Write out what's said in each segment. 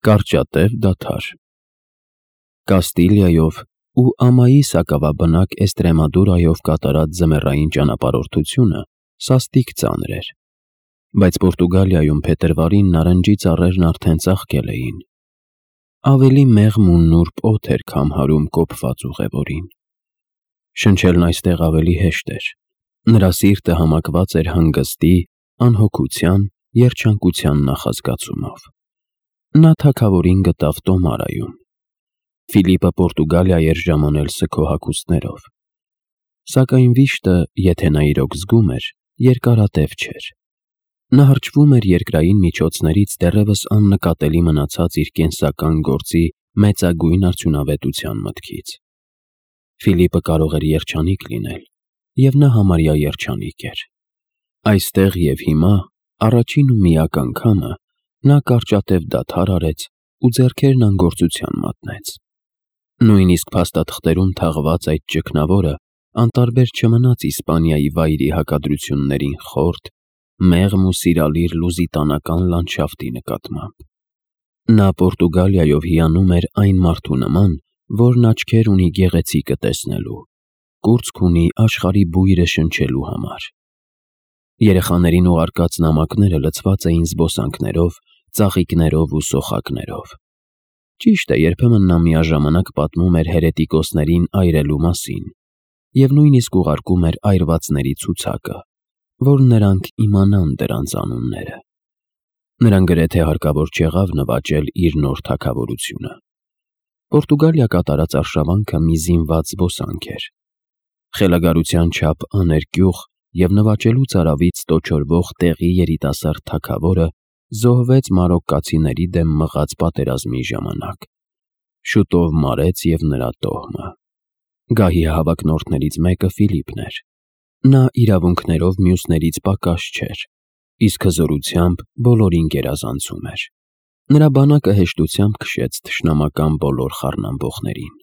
Կարճատև դադար Կաստիլիայով ու ամայի սակավաբնակ Էստրեմադուրայով կատարած ձմեռային ճանապարհորդությունը սաստիկ ծանր էր, բայց Պորտուգալիայում փետրվարին նարնջի ծառերն արդեն ծաղկել էին։ Ավելի մեղմ ու նուրբ օդ էր քամհարում կոփված ուղևորին։ Շնչելն այստեղ ավելի հեշտ էր, նրա սիրտը համակված էր հանգստի, անհոգության, երջանկության նախազգացումով։ Նա թագավորին գտավ Տոմարայում։ Ֆիլիպը Պորտուգալիա էր ժամանել սգո հագուստներով։ Սակայն վիշտը, եթե նա իրոք զգում էր, երկարատև չէր։ Նա հրճվում էր երկրային միջոցներից դեռևս աննկատելի մնացած իր կենսական գործի մեծագույն արդյունավետության մտքից։ Ֆիլիպը կարող էր երջանիկ լինել, և նա համարյա երջանիկ էր։ Այստեղ և հիմա, առաջին ու միակ անգամը, նա կարճատև դադար արեց ու ձեռքերն անգործության մատնեց։ Նույնիսկ փաստաթղթերում թաղված այդ ճգնավորը անտարբեր չմնաց Իսպանիայի վայրի հակադրություններին խորթ, մեղմ ու սիրալիր լուզիտանական լանդշաֆտի նկատմամբ։ Նա Պորտուգալիայով հիանում էր այն մարդու նման, որն աչքեր ունի գեղեցիկը տեսնելու, կուրծք ունի աշխարհի բույրը շնչելու համար։ Երեխաներին ուղարկած նամակները լցված էին զբոսանքներով, ծաղիկներով ու սոխակներով։ Ճիշտ է, երբեմն նա միաժամանակ պատմում էր հերետիկոսներին այրելու մասին և նույնիսկ ուղարկում էր այրվածների ցուցակը, որ նրանք իմանան դրանց անունները։ Նրան գրեթե հարկավոր չեղավ նվաճել իր նոր թագավորությունը։ Պորտուգալիա կատարած արշավանքը մի զինված զբոսանք էր։ Խելագարության չափ աներկյուղ և նվաճելուց արավից տոչորվող տեղի երիտասարդ թագավորը զոհվեց մարոկկացիների դեմ մղած պատերազմի ժամանակ։ Շուտով մարեց և նրա տոհմը։ Գահի հավակնորդներից մեկը Ֆիլիպն էր։ Նա իրավունքներով մյուսներից պակաս չէր, իսկ հզորությամբ բոլորին գերազանցում էր։ Նրա բանակը հեշտությամբ քշեց թշնամական բոլոր խառնամբողներին։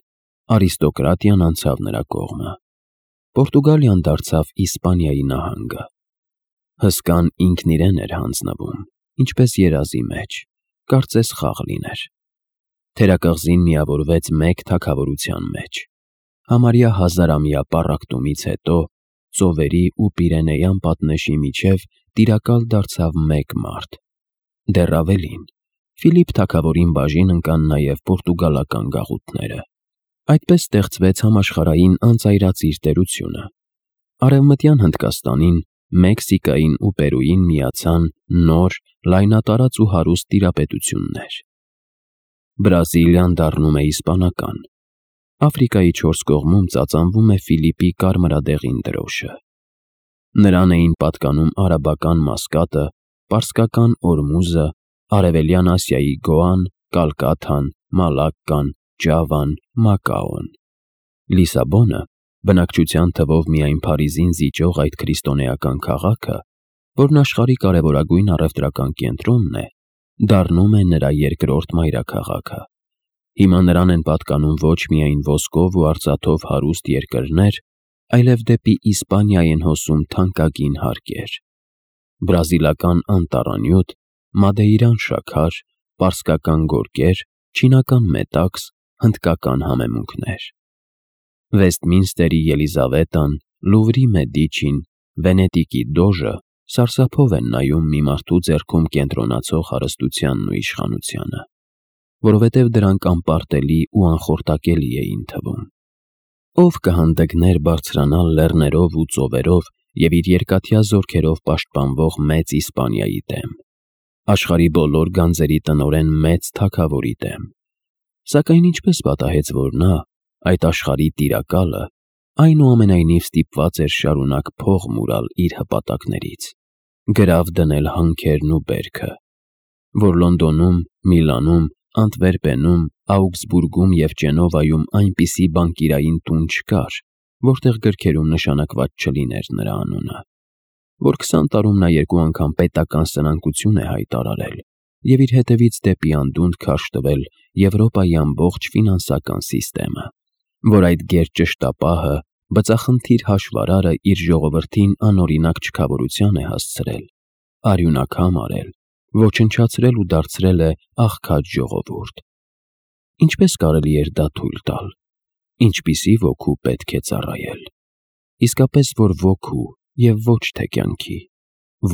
Արիստոկրատիան անցավ նրա կողմը։ Պորտուգալիան դարձավ Իսպանիայի նահանգը։ Հսկան ինքն իրեն էր հանձնվում, ինչպես երազի մեջ, կարծես խաղ լիներ։ Թերակղզին միավորվեց մեկ թագավորության մեջ։ Համարյա 1000-ամյա պառակտումից հետո ծովերի ու Պիրենեյան պատնեշի միջև տիրակալ դարձավ մեկ մարդ։ Դեռ ավելին, Ֆիլիպ թագավորին բաժին ընկան նաև պորտուգալական գաղութները։ Այդպես ստեղծվեց համաշխարհային անծայրածիր տերությունը։ Արևմտյան Հնդկաստանին, Մեքսիկային ու Պերուին միացան նոր, լայնատարած ու հարուստ տիրապետություններ։ Բրազիլիան դառնում է իսպանական։ Աֆրիկայի 4 կողմում ծածանվում է Ֆիլիպի կարմրադեղին դրոշը։ Նրան էին պատկանում արաբական Մասկատը, պարսկական Օրմուզը, Արևելյան Ասիայի Գոան, Կալկաթան, Մալակկան, Ջավան, Մակաոն։ Լիսաբոնը, բնակչության թվով միայն Փարիզին զիջող այդ քրիստոնեական քաղաքը, որն աշխարհի կարևորագույն առևտրական կենտրոնն է, դառնում է նրա երկրորդ մայրաքաղաքը։ Հիմա նրան են պատկանում ոչ միայն ոսկով ու արծաթով հարուստ երկրներ, այլև դեպի Իսպանիա են հոսում թանկագին հարկեր։ Բրազիլական անտառանյութ, մադեիրան շաքար, պարսկական գորգեր, չինական մետաքս, հնդկական համեմունքներ։ Վեստմինստերի Ելիզավետան, Լուվրի Մեդիչին, Վենետիկի Դոժը սարսափով են նայում մի մարդու ձեռքում կենտրոնացող հարստությանն ու իշխանությանը, որովհետև դրանք անպարտելի ու անխորտակելի էին թվում։ Ով կհանդգներ բարձրանալ լեռներով ու ծովերով և իր երկաթյա զորքերով պաշտպանվող մեծ Իսպանիայի դեմ, աշխարհի բոլոր գանձերի տնօրեն մեծ թագավորի դեմ։ Սակայն ինչպես պատահեց, որ նա, այդ աշխարհի տիրակալը, այնուամենայնիվ ստիպված էր շարունակ փող մուրալ իր հպատակներից, գրավ դնել հանքերն ու բերքը, որ Լոնդոնում, Միլանում, Անտվերպենում, Աուգսբուրգում և Ճենովայում այնպիսի բանկիրային տուն չկար, որտեղ գրքերում նշանակված չլիներ նրա անունը, որ 20 տարում նա 2 անգամ պետական սնանկություն է հայտարարել և իր հետևից դեպի անդունդ քարշ տվել Եվրոպայի ամբողջ ֆինանսական սիստեմը, որ այդ գերճշտապահը, բծախնդիր հաշվարարը իր ժողովրդին անօրինակ չքավորության է հասցրել, արյունակամ արել, ոչնչացրել ու դարձրել է աղքատ ժողովուրդ։ Ինչպես կարելի էր դա թույլ տալ։ Ինչպիսի ոգու պետք է ծառայել։ Իսկապես որ ոգու և ոչ թե կյանքի։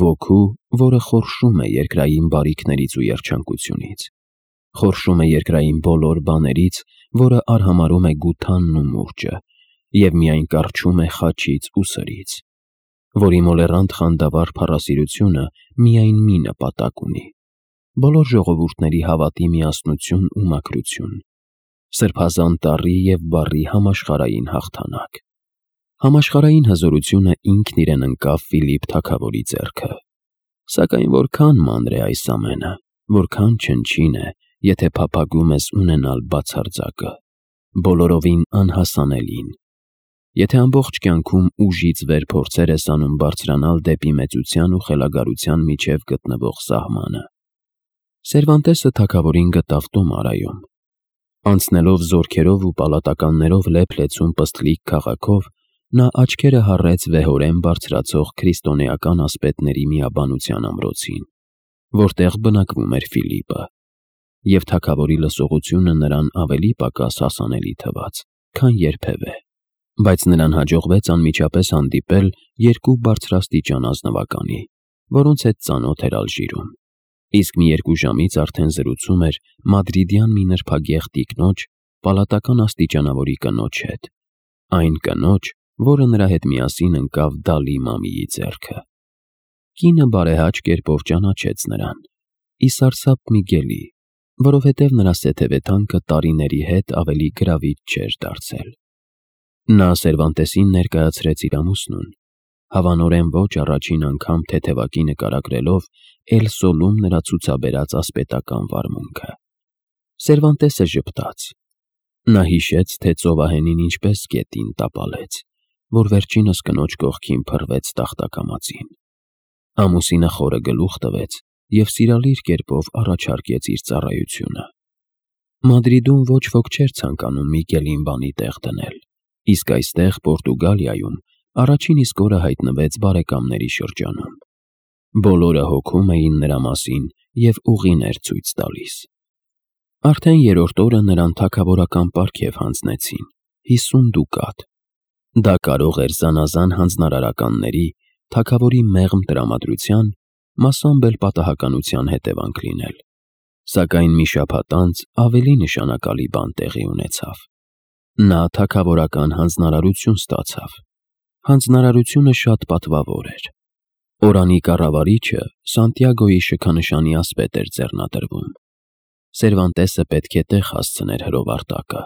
Ոգու, որը խորշում է երկրային բարիքներից ու երջանկությունից։ Խորշում է երկրային բոլոր բաներից, որը արհամարհում է գութանն ու մուրճը, և միայն կառչում է խաչից ու սրից, որի մոլեռանդ խանդավառ փառասիրությունը միայն մի նպատակ ունի՝ բոլոր ժողովուրդների հավատի միասնություն ու մաքրություն, սրբազան տառի և բառի համաշխարհային հաղթանակ։ Համաշխարհային հզորությունը ինքն իրեն ընկավ Ֆիլիպ թագավորի ձեռքը։ Սակայն որքան մանր է այս ամենը, որքան չնչին է, եթե փափագում ես ունենալ բացարձակը, բոլորովին անհասանելին, եթե ամբողջ կյանքում ուժից վեր փորձեր ես անում բարձրանալ դեպի մեծության ու խելագարության միջև գտնվող սահմանը։ Սերվանտեսը թագավորին գտավ Տոմարայում։ Անցնելով զորքերով ու պալատականներով լեփ-լեցուն պստլիկ քաղաքով, նա աչքերը հառեց վեհորեն բարձրացող քրիստոնեական ասպետների միաբանության ամրոցին, որտեղ բնակվում էր Ֆիլիպը, և թագավորի լսողությունը նրան ավելի պակաս հասանելի թվաց, քան երբևէ, բայց նրան հաջողվեց անմիջապես հանդիպել երկու բարձրաստիճան ազնվականի, որոնց հետ ծանոթ էր Ալժիրում, իսկ մի 2 ժամից արդեն զրուցում էր մադրիդյան մի նրբագեղ տիկնոջ, պալատական աստիճանավորի կնոջ հետ, այն կնոջ, որը նրա հետ միասին ընկավ Դալի Մամիի ձեռքը։ Կինը բարեհաճ կերպով ճանաչեց նրան՝ ի սարսափ Միգելի, որովհետև նրա սեթևեթանքը տարիների հետ ավելի գրավիչ չէր դարձել։ Նա Սերվանտեսին ներկայացրեց իր ամուսնուն, հավանորեն ոչ առաջին անգամ թեթևակի նկարագրելով Էլ Սոլում նրա ցուցաբերած ասպետական վարմունքը։ Սերվանտեսը ժպտաց։ Նա հիշեց, թե ծովահենին ինչպես գետին տապալեց, որ վերջինս կնոջ կողքին փռվեց տախտակամածին։ Ամուսինը խորը գլուխ տվեց և սիրալիր կերպով առաջարկեց իր ծառայությունը։ Մադրիդում ոչ ոք չէր ցանկանում Միգելին բանի տեղ դնել, իսկ այստեղ Պորտուգալիայում առաջին իսկ օրը հայտնվեց բարեկամների շրջանում։ Բոլորը հոգում էին նրա մասին և ուղիներ ցույց տալիս։ Արդեն 3-րդ օրը նրան թագավորական պարգև հանձնեցին՝ 50 դուկատ։ Դա կարող էր զանազան հանձնարարականների, թագավորի մեղմ տրամադրության, մասամբ էլ պատահականության հետևանք լինել։ Սակայն մի շաբաթ անց ավելի նշանակալի բան տեղի ունեցավ։ Նա թագավորական հանձնարարություն ստացավ։ Հանձնարարությունը շատ պատվավոր էր։ Օրանի կառավարիչը Սանտիագոյի շքանշանի ասպետ էր ձեռնադրվում։ Սերվանտեսը պետք է տեղ հասցներ հրովարտակը։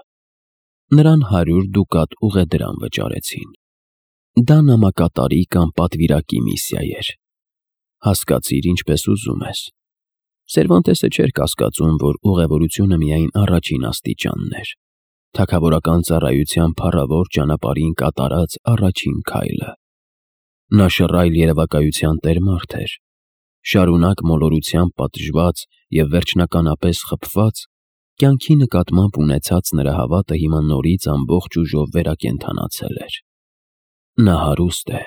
Նրան 100 դուկատ ուղեդրամ վճարեցին։ Դա նամակատարի կամ պատվիրակի միսիա էր։ Հասկացիր ինչպես ուզում ես։ Սերվանտեսը չէր կասկածում, որ ուղևորությունը միայն առաջին աստիճանն էր, թագավորական ծառայության փառավոր ճանապարհին կատարած առաջին քայլը։ Նա շռայլ երևակայության տեր-մարդ էր, շարունակ մոլորությամբ պատժված և վերջնականապես խփված, կյանքի նկատմամբ ունեցած նրա հավատը հիմա նորից ամբողջ ուժով վերակենդանացել էր։ Նա հարուստ է,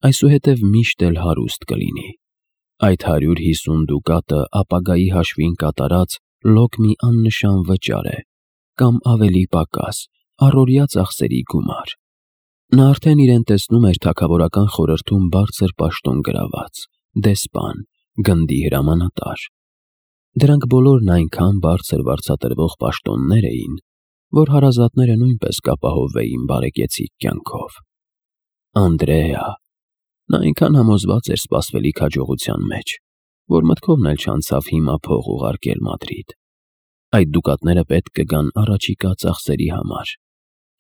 այսուհետև միշտ էլ հարուստ կլինի։ Այդ 150 դուկատը ապագայի հաշվին կատարած լոկ մի աննշան վճար է, կամ ավելի պակաս, առօրյա ծախսերի գումար։ Նա արդեն իրեն տեսնում էր թագավորական խորհրդում բարձր պաշտոն գրաված, դեսպան, գնդի հրամանատար։ Դրանք բոլորն այնքան բարձր վարձատրվող պաշտոններ էին, որ հարազատները նույնպես կապահովվեին բարեկեցիկ կյանքով։ Անդրեա։ Նա այնքան համոզված էր սպասվելիք հաջողության մեջ, որ մտքովն էլ չանցավ հիմա փող ուղարկել Մադրիդ։ Այդ դուկատները պետք կգան առաջիկա ծախսերի համար,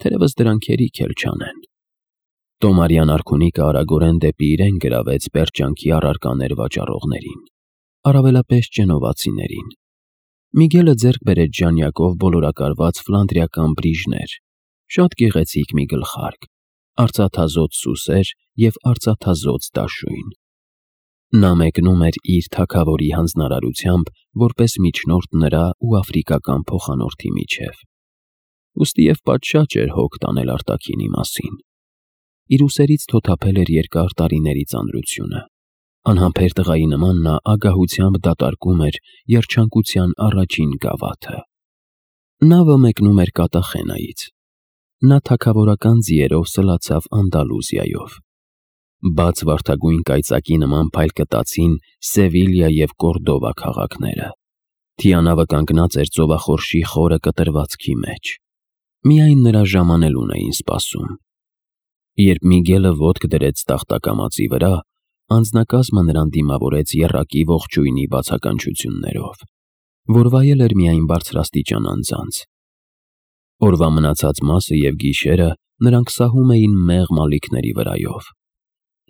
թերևս դրանք հերիք էլ չանեն։ Տոմարյան արքունիքը արագորեն դեպի իրեն գրավեց պերճանքի առարկաներ վաճառողներին, առավելապես ճենովացիներին։ Միգելը ձեռք բերեց ժանյակով բոլորակարված ֆլանդրիական բրիժներ, շատ գեղեցիկ մի գլխարկ, արծաթազոծ սուսեր և արծաթազոծ դաշույն։ Նա մեկնում էր իր թագավորի հանձնարարությամբ որպես միջնորդ նրա ու աֆրիկական փոխանորդի միջև։ Ուստի և պատշաճ էր հոգ տանել արտաքինի մասին։ Իր ուսերից թոթափել էր երկար տարիների ծանրությունը, Անհամբեր տղայի նման նա ագահությամբ դատարկում էր երջանկության առաջին գավաթը։ Նավը մեկնում էր Կատախենայից։ Նա թագավորական ձիերով սլացավ Անդալուզիայով։ Բաց վարդագույն կայծակի նման փայլ կտացին Սևիլիա և Կորդովա քաղաքները։ Թիանավը կանգնած էր ծովախորշի խորը կտրվածքի մեջ։ Միայն նրա ժամանելուն էին սպասում։ Երբ Միգելը ոտք դրեց տախտակամածի վրա, անձնակազմը նրան դիմավորեց եռակի ողջույնի բացականչություններով, որ վայել էր միայն բարձրաստիճան անձանց։ Օրվա մնացած մասը և գիշերը նրանք սահում էին մեղմ ալիքների վրայով։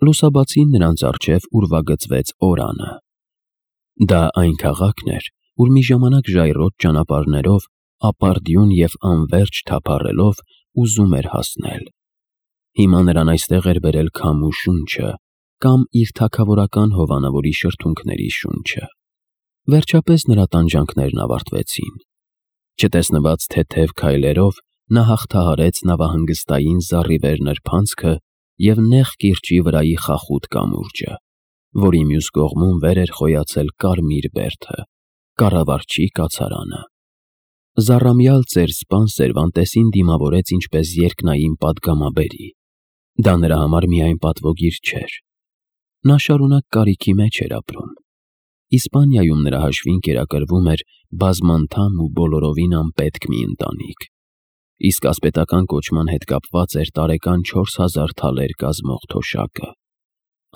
Լուսաբացին նրանց առջև ուրվագծվեց Օրանը։ Դա այն քաղաքն էր, ուր մի ժամանակ ժայռոտ ճանապարհներով, ապարդյուն և անվերջ թափառելով ուզում էր հասնել։ Հիմա նրան այստեղ էր բերել քամու շունչը, կամ իր թագավորական հովանավորի շրթունքների շունչը։ Վերջապես նրա տանջանքներն ավարտվեցին։ Չտեսնված թեթև քայլերով նա հաղթահարեց նավահանգստային զառիվեր նրբանցքը և նեղ կիրճի վրայի խախուտ կամուրջը, որի մյուս կողմում վեր էր խոյացել կարմիր բերդը, կառավարչի կացարանը։ Զառամյալ ծեր սպան Սերվանտեսին դիմավորեց ինչպես երկնային պատգամաբերի։ Դա նրա համար միայն պատվոգիր չէր։ Նա շարունակ կարիքի մեջ էր ապրում։ Իսպանիայում նրա հաշվին կերակրվում էր բազմանդամ ու բոլորովին անպետք մի ընտանիք, իսկ ասպետական կոչման հետ կապված էր տարեկան 4000 թալեր կազմող թոշակը։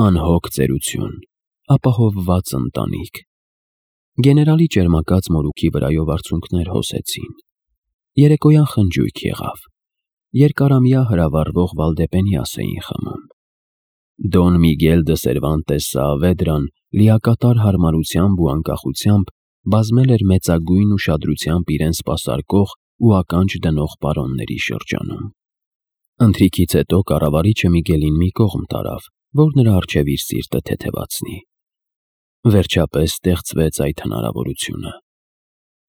Անհոգ ծերություն, ապահովված ընտանիք։ Գեներալի ճերմակած մորուքի վրայով արցունքներ հոսեցին։ Երեկոյան խնջույք եղավ։ Երկարամյա հրավառվող Վալդեպենիաս էին խմում։ Դոն Միգել դը Սերվանտես Սաավեդրան լիակատար հարմարությամբ ու անկախությամբ բազմել էր մեծագույն ուշադրությամբ իրեն սպասարկող ու ականջ դնող պարոնների շրջանում։ Ընթրիքից հետո կառավարիչը Միգելին մի կողմ տարավ, որ նրա առջև իր սիրտը թեթևացնի։ Վերջապես ստեղծվեց այդ հնարավորությունը։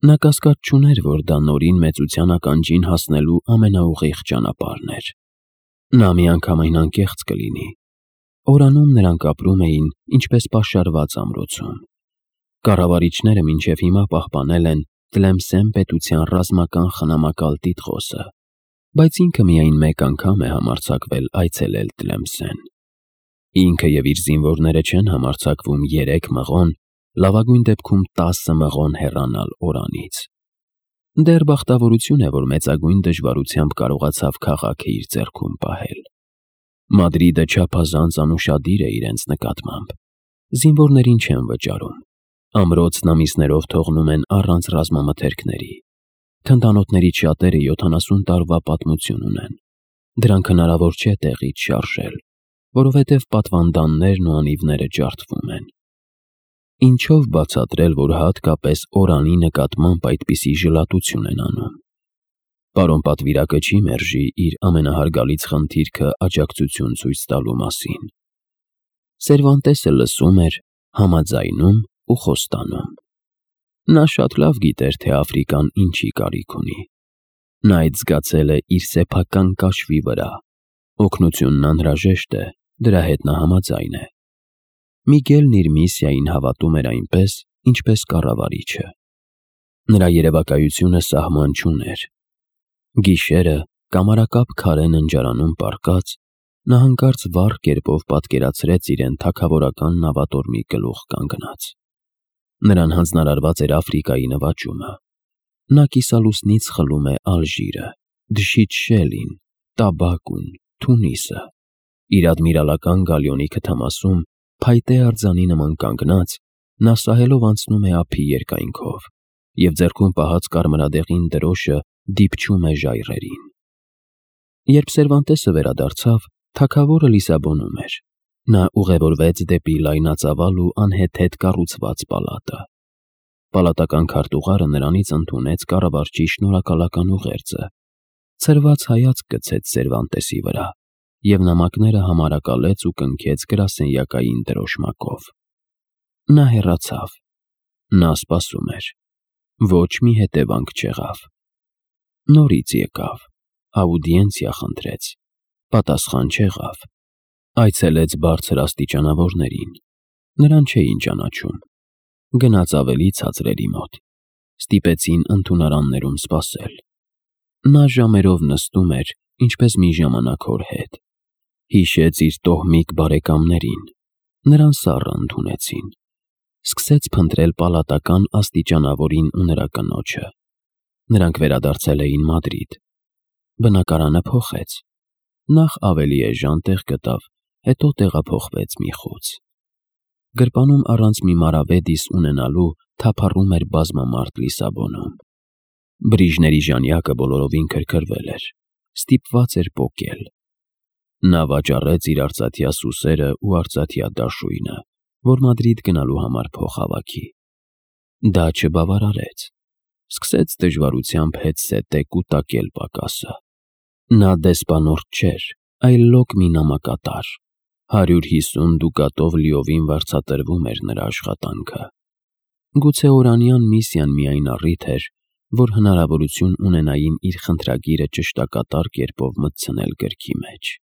Նա կասկած չուներ, որ դա նորին մեծության ականջին հասնելու ամենաուղիղ ճանապարհն էր։ Նա միանգամայն անկեղծ կլինի։ Օրանում նրանք ապրում էին ինչպես պաշարված ամրոցում։ Կառավարիչները մինչև հիմա պահպանել են Տլեմսեն պետության ռազմական խնամակալ տիտղոսը, բայց ինքը միայն մեկ անգամ է համարձակվել այցելել Տլեմսեն։ Ինքը և իր զինվորները չեն համարձակվում 3 մղոն, լավագույն դեպքում 10 մղոն հեռանալ Օրանից։ Դեռ բախտավորություն է, որ մեծագույն դժվարությամբ կարողացավ քաղաքը իր ձեռքում պահել։ Մադրիդը չափազանց անուշադիր է իրենց նկատմամբ։ Զինվորներին չեն վճարում։ Ամրոցն ամիսներով թողնում են առանց ռազմամթերքների։ Թնդանոթներից շատերը 70 տարվա պատմություն ունեն։ Դրանք հնարավոր չէ տեղից շարժել, որովհետև պատվանդաններն ու անիվները ջարդվում են։ Ինչով բացատրել, որ հատկապես Օրանի նկատմամբ այդպիսի ժլատություն են անում։ Պարոն պատվիրակը չի մերժի իր ամենահարգալից խնդիրքը աջակցություն ցույց տալու մասին։ Սերվանտեսը լսում էր, համաձայնում ու խոստանում։ Նա շատ լավ գիտեր, թե Աֆրիկան ինչի կարիք ունի։ Նա այդ զգացել է իր սեփական կաշվի վրա։ Օգնությունն անհրաժեշտ է, դրա հետ նա համաձայն է։ Միգելն իր միսիային հավատում էր այնպես, ինչպես կառավարիչը։ Նրա երևակայությունը սահման չուներ։ Գիշերը կամարակապ քարե ննջարանում պառկած, նա հանկարծ վառ կերպով պատկերացրեց իրեն թագավորական նավատորմի գլուխ կանգնած։ Նրան հանձնարարված էր Աֆրիկայի նվաճումը։ Նա կիսալուսնից խլում է Ալժիրը, Դշիթ Շելին, Տաբակուն, Թունիսը։ Իր ադմիրալական գալիոնի քթամասում փայտե արձանի նման կանգնած, նա սահելով անցնում է ափի երկայնքով և ձեռքում պահած կարմրադեղին դրոշը դիպչում է ժայռերին։ Երբ Սերվանտեսը վերադարձավ, թագավորը Լիսաբոնում էր։ Նա ուղևորվեց դեպի լայնածավալ ու անհեթեթ կառուցված պալատը։ Պալատական քարտուղարը նրանից ընդունեց կառավարչի շնորհակալական ուղերձը, ցրված հայացք գցեց Սերվանտեսի վրա և նամակները համարակալեց ու կնքեց գրասենյակային դրոշմակով։ Նա հեռացավ։ Նա սպասում էր։ Ոչ մի հետևանք չեղավ։ Նորից եկավ, աուդիենցիա խնդրեց, պատասխան չեղավ։ Այցելեց բարձր աստիճանավորներին։ Նրան չէին ճանաչում։ Գնաց ավելի ցածրերի մոտ։ Ստիպեցին ընդունարաններում սպասել։ Նա ժամերով նստում էր, ինչպես մի ժամանակ հոր հետ։ Հիշեց իր տոհմիկ բարեկամներին։ Նրան սառը ընդունեցին։ Սկսեց փնտրել պալատական աստիճանավորին ու նրա կնոջը։ Նրանք վերադարձել էին Մադրիդ։ Բնակարանը փոխեց։ Նախ ավելի էժան տեղ գտավ, հետո տեղափոխվեց մի խոց։ Գրպանում առանց մի մարավեդիս ունենալու թափառում էր բազմամարդ Լիսաբոնում։ Բրիժների ժանյակը բոլորովին քրքրվել էր, ստիպված էր պոկել։ Նա վաճառեց իր արծաթյա սուսերն ու արծաթյա դաշույնը, որ Մադրիդ գնալու համար փող հավաքի։ Դա չբավարարեց։ Սկսեց դժվարությամբ հետզհետե կուտակել պակասը։ Նա դեսպանորդ չէր, այլ լոկ մի նամակատար։ 150 դուկատով լիովին վարձատրվում էր նրա աշխատանքը։ Գուցե օրանյան միսիան միայն առիթ էր, որ հնարավորություն ունենային իր խնդրագիրը ճշտակատար կերպով մտցնել գրքի մեջ։